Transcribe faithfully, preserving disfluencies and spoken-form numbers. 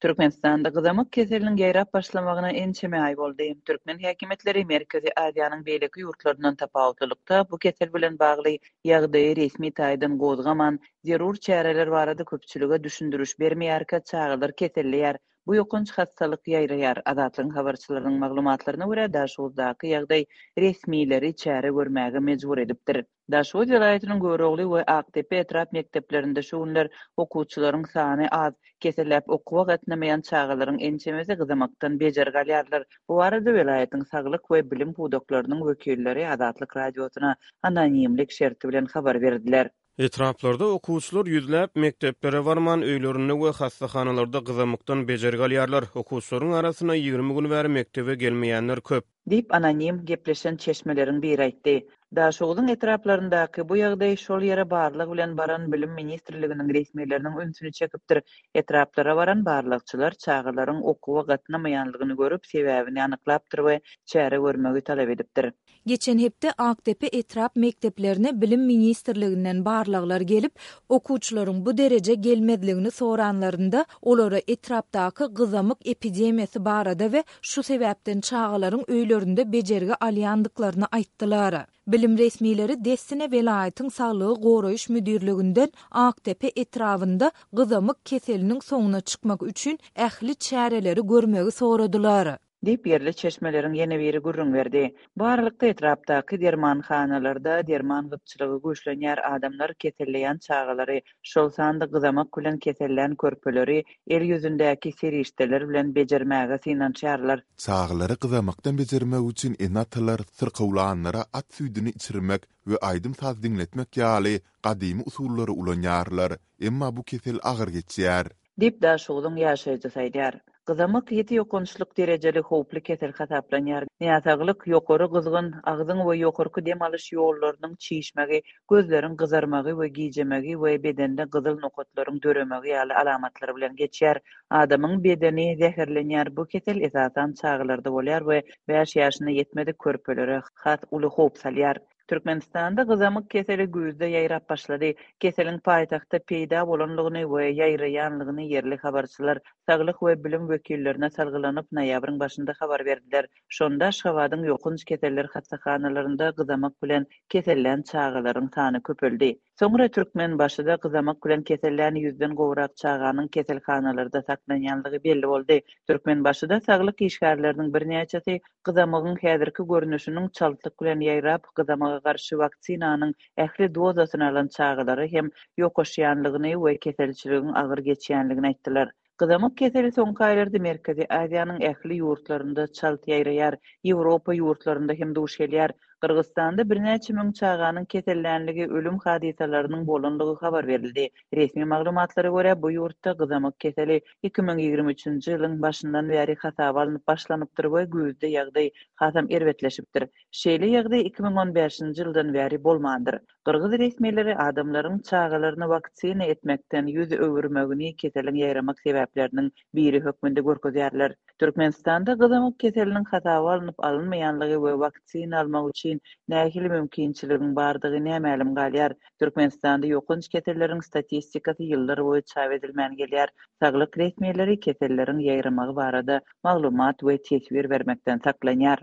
Türkmenistanda gyzamyk keseliniň ýaýrap başlamagyna ençeme aý boldy. Türkmen häkimiýetleri Merkezi Aziýanyň beýleki ýurtlaryndan tapawutlylykda bu kesel bilen bagly ýagdaýy resmi taýdan gozgaman, zerur çäreler barada köpçülige düşündiriş bermeýärkä çagalar keselleýär. Bu ýokanç hassalyk ýaýraýar. Azatlygyň habarçylarynyň maglumatlaryna görä, Daşoguzdaky ýagdaý resmileri çäre görmäge mejbur edipdir. Daşoguz welaýatynyň Görogly we Akdepe etrap mekdeplerinde şu günler okuwçylaryň sany az. Keselläp okuwa gatnamaýan çagalaryň ençemesi gyzamakdan bejergi alýarlar. Bu barada welaýatyň saglyk we bilim pudaklarynyň wekilleri Azatlyk Radiosyna anonimlik şerti bilen habar berdiler. Etraplarda okuwçylar ýüzläp mekdeplere barman, öýlerinde we hassahanalarda gyzamykdan bejergi alýarlar. Okuwçylaryň arasynda ýigrimi gün bäri mekdebe gelmeýänler köp. Diýip, anonim gepleşen çeşmeleriň biri aýtdy. Daşoguzyň etraplaryndaky bu ýagdaý şol ýere barlag bilen baran Bilim ministrliginiň resmileriniň ünsüni çekipdir. Etraplara baran barlagçylar çagalaryň okuwa gatnamaýanlygyny görüp, sebäbini anyklapdyr we çäre görmegi talap edipdir. Geçen hepde Akdepe etrap mekdeplerine Bilim ministrliginden barlaglar gelip, okuwçylaryň bu dereje gelmezligini soranlarynda, olara etrapdaky gyzamyk epidemiýasy barada we şu sebäpden çagalaryň öýlerinde bejergi alýandyklaryny aýtdylar. Bilim resmileri dessine welaýatyň saglygy goraýyş müdirliginden Akdepe etrabynda gyzamyk keseliniň soňuna çykmak üçin ähli çäreleri görmegi soradylar. Diýip, ýerli çeşmeleriň ýene biri gürrüň berdi. Bu aralykda etrapdaky dermanhanalarda derman gytçylygy güýçlenýär, adamlar keselleýän çagalary, şol sanda gyzamak bilen kesellän körpeleri el ýüzündäki serişdeler bilen bejermäge synanyşýarlar. Çagalary gyzamakdan bejermek üçin ene-atalar syrkawlanlara at süýdüni içirmek we aýdym-saz diňletmek ýaly gadymy usullary ulanýarlar, emma bu kesel agyr geçýär. Diýip, Daşoguzyň ýaşaýjysy aýdýar. Gyzamyk ýiti ýokançlyk derejeli howply kesel hasaplanýar. Näsaglyk ýokary gyzgyn, agzyň we ýokarky dem alyş ýollarynyň çişmegi, gözleriň gyzarmagy we gijemegi we bedende gyzyl nokatlaryň döremegi ýaly alamatlar bilen geçýär. Adamyň bedeni zäherlenýär. Bu kesel esasan çagalarda bolýar we bäş ýaşyna ýetmedik körpelere has uly howp salýar. Türkmenistanda gyzamyk keseli güýzde ýaýrap başlady. Keseliň paýtagtda peýda bolanlygyny we ýaýraýanlygyny ýerli habarçylar saglyk we bilim wekillerine salgylanyp noýabryň başynda habar berdiler. Şonda Aşgabadyň ýokanç keseller hassahanalarynda gyzamak bilen kesellän çagalaryň sany köpeldi. Soňra Türkmenbaşyda gyzamak bilen kesellän ýüzden gowrak çaganyň keselhanalarda saklanýanlygy belli boldy. Türkmenbaşyda saglyk işgärleriniň birnäçesi gyzamygyň häzirki görnüşiniň çaltlyk bilen ýaýrap, gyzamaga garşy waksinanyň ähli dozasyny alan çagalara hem ýokaşýanlygyny we keselçiligiň agyr geçýänligini aýtdylar. Gyzamyk keseli soňky aýlarda Merkezi Aziýanyň ähli ýurtlarynda çalt ýaýraýar, Ýewropa ýurtlarynda hem duş gelýär. Gyrgyzystanda birnäçe müň çaganyň kesellänligi, ölüm hadysalarynyň bolanlygy habar berildi. Resmi maglumatlara görä, bu ýurtda gyzamyk keseli iki müň ýigrimi üçünji ýylyň başyndan bäri hasaba alnyp başlanypdyr we güýzde ýagdaý hasam erbetleşipdir. Şeýle ýagdaý iki müň on bäşinji ýyldan bäri bolmandyr. Gyrgyz resmileri adamlaryň çagalaryny waksina etmekden ýüz öwürmegini keseliň ýaýramak sebäpleriniň biri hökmünde görkezýärler. Türkmenistanda gyzamyk keseliniň hasaba alnyp alynmaýanlygy we waksina almak üçin nähili mümkinçiligiň bardygy nämälim galýar. Türkmenistanda ýokanç keselleriň statistikasy ýyllar boýy çap edilmän gelýär. Saglyk resmileri keselleriň ýaýramagy barada maglumat we teswir bermekden saklanýar.